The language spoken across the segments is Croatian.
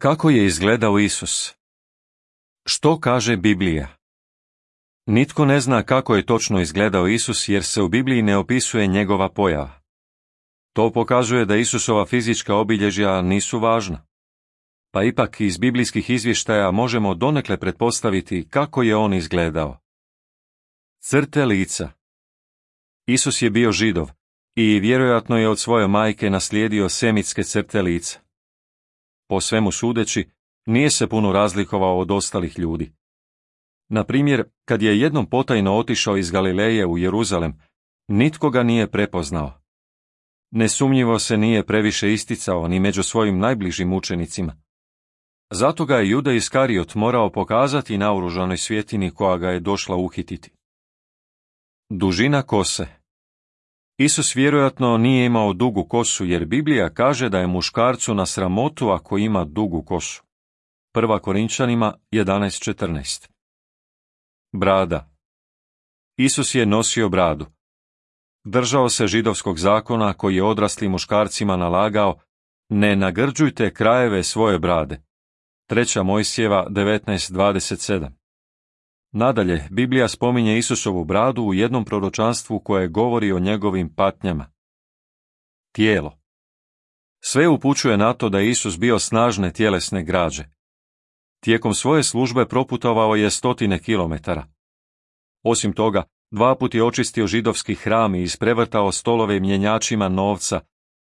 Kako je izgledao Isus? Što kaže Biblija? Nitko ne zna kako je točno izgledao Isus jer se u Bibliji ne opisuje njegova pojava. To pokazuje da Isusova fizička obilježja nisu važna. Pa ipak iz biblijskih izvještaja možemo donekle pretpostaviti kako je on izgledao. Crte lica. Isus je bio Židov i vjerojatno je od svoje majke naslijedio semitske crte lica. Po svemu sudeći, nije se puno razlikovao od ostalih ljudi. Na primjer, kad je jednom potajno otišao iz Galileje u Jeruzalem, nitko ga nije prepoznao. Nesumnjivo se nije previše isticao ni među svojim najbližim učenicima. Zato ga je Juda Iskariot morao pokazati naoružanoj svjetini koja ga je došla uhititi. Dužina kose. Isus vjerojatno nije imao dugu kosu jer Biblija kaže da je muškarcu na sramotu ako ima dugu kosu. 1. Korinčanima 11:14. Brada. Isus je nosio bradu. Držao se židovskog zakona koji je odraslim muškarcima nalagao: ne nagrđujte krajeve svoje brade. 3. Mojsijeva 19:27. Nadalje, Biblija spominje Isusovu bradu u jednom proročanstvu koje govori o njegovim patnjama. Tijelo. Sve upućuje na to da je Isus bio snažne tjelesne građe. Tijekom svoje službe proputovao je 100 kilometara. Osim toga, 2 puta je očistio židovski hram i isprevrtao stolove mjenjačima novca,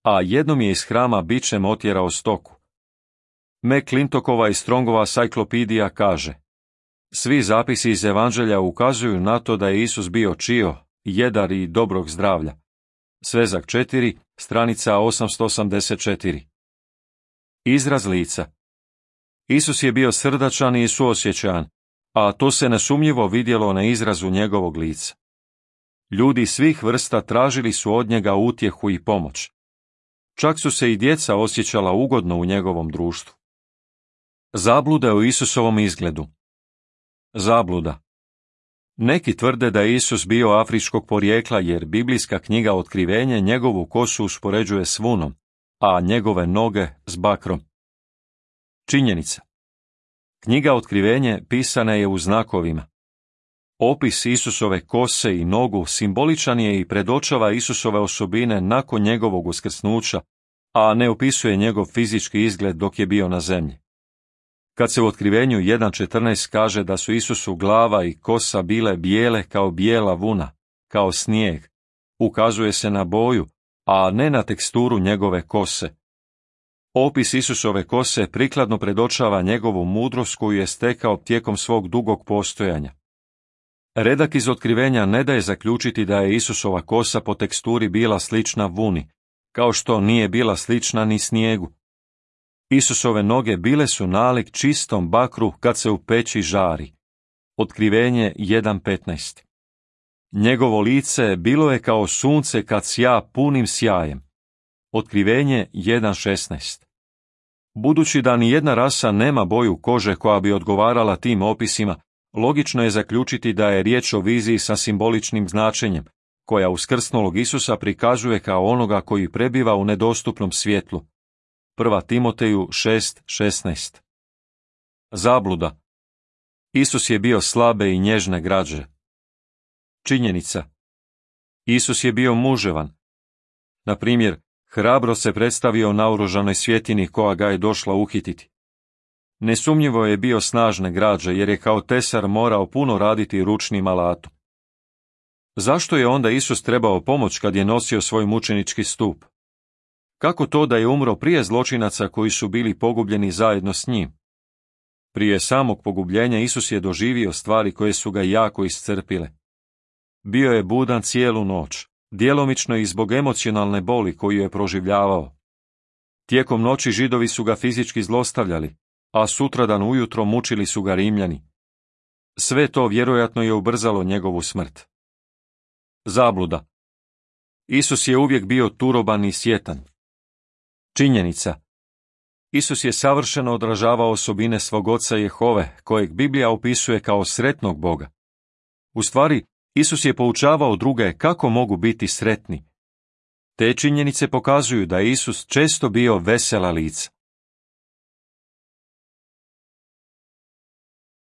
a jednom je iz hrama bičem otjerao stoku. McClintokova i Strongova Cyclopedia kaže: svi zapisi iz Evanđelja ukazuju na to da je Isus bio čio, jedar i dobrog zdravlja. Svezak 4, stranica 884. Izraz lica. Isus je bio srdačan i suosjećajan, a to se nesumnjivo vidjelo na izrazu njegovog lica. Ljudi svih vrsta tražili su od njega utjehu i pomoć. Čak su se i djeca osjećala ugodno u njegovom društvu. Zabluda o Isusovom izgledu. Zabluda. Neki tvrde da je Isus bio afričkog porijekla jer biblijska knjiga Otkrivenje njegovu kosu uspoređuje s vunom, a njegove noge s bakrom. Činjenica. Knjiga Otkrivenje pisana je u znakovima. Opis Isusove kose i nogu simboličan je i predočava Isusove osobine nakon njegovog uskrsnuća, a ne opisuje njegov fizički izgled dok je bio na zemlji. Kad se u Otkrivenju 1.14 kaže da su Isusu glava i kosa bile bijele kao bijela vuna, kao snijeg, ukazuje se na boju, a ne na teksturu njegove kose. Opis Isusove kose prikladno predočava njegovu mudrost koju je stekao tijekom svog dugog postojanja. Redak iz Otkrivenja ne daje zaključiti da je Isusova kosa po teksturi bila slična vuni, kao što nije bila slična ni snijegu. Isusove noge bile su nalik čistom bakru kad se u peći žari. Otkrivenje 1.15. Njegovo lice bilo je kao sunce kad sja punim sjajem. Otkrivenje 1.16. Budući da ni jedna rasa nema boju kože koja bi odgovarala tim opisima, logično je zaključiti da je riječ o viziji sa simboličnim značenjem, koja uskrsnulog Isusa prikazuje kao onoga koji prebiva u nedostupnom svjetlu. 1. Timoteju 6.16. Zabluda. Isus je bio slabe i nježne građe. Činjenica. Isus je bio muževan. Na primjer, hrabro se predstavio naoružanoj svjetini koja ga je došla uhititi. Nesumnjivo je bio snažne građe jer je kao tesar morao puno raditi ručnim alatom. Zašto je onda Isus trebao pomoć kad je nosio svoj mučenički stup? Kako to da je umro prije zločinaca koji su bili pogubljeni zajedno s njim? Prije samog pogubljenja Isus je doživio stvari koje su ga jako iscrpile. Bio je budan cijelu noć, djelomično i zbog emocionalne boli koju je proživljavao. Tijekom noći Židovi su ga fizički zlostavljali, a sutradan ujutro mučili su ga Rimljani. Sve to vjerojatno je ubrzalo njegovu smrt. Zabluda. Isus je uvijek bio turoban i sjetan. Činjenica. Isus je savršeno odražavao osobine svog oca Jehove, kojeg Biblija opisuje kao sretnog Boga. U stvari, Isus je poučavao druge kako mogu biti sretni. Te činjenice pokazuju da je Isus često bio vesela lica.